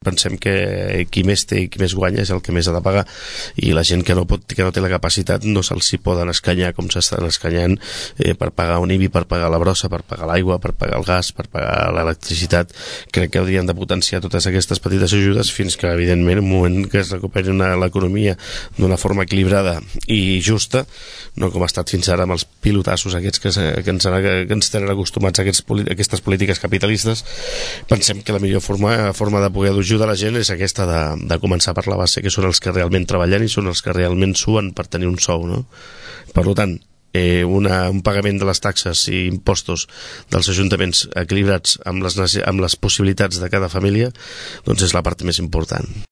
pensem que qui més té i qui més guanya és el que més ha de pagar, i la gent que no té la capacitat no se'ls hi poden escanyar com s'estan escanyant per pagar un IBI, per pagar la brossa, per pagar l'aigua, per pagar el gas, per pagar l'electricitat. Crec que haurien de potenciar totes aquestes petites ajudes fins que, evidentment, en un moment que es recuperi l'economia d'una forma equilibrada i justa, no com ha estat fins ara amb els pilotassos aquests que ens tenen acostumats a aquestes polítiques capitalistes. Pensem que la millor forma de poder ajudar la gent és aquesta de començar per la base, que són els que realment treballen i són els que realment suen per tenir un sou, no? Per tant, un pagament de les taxes i impostos dels ajuntaments equilibrats amb les possibilitats de cada família, doncs és la part més important.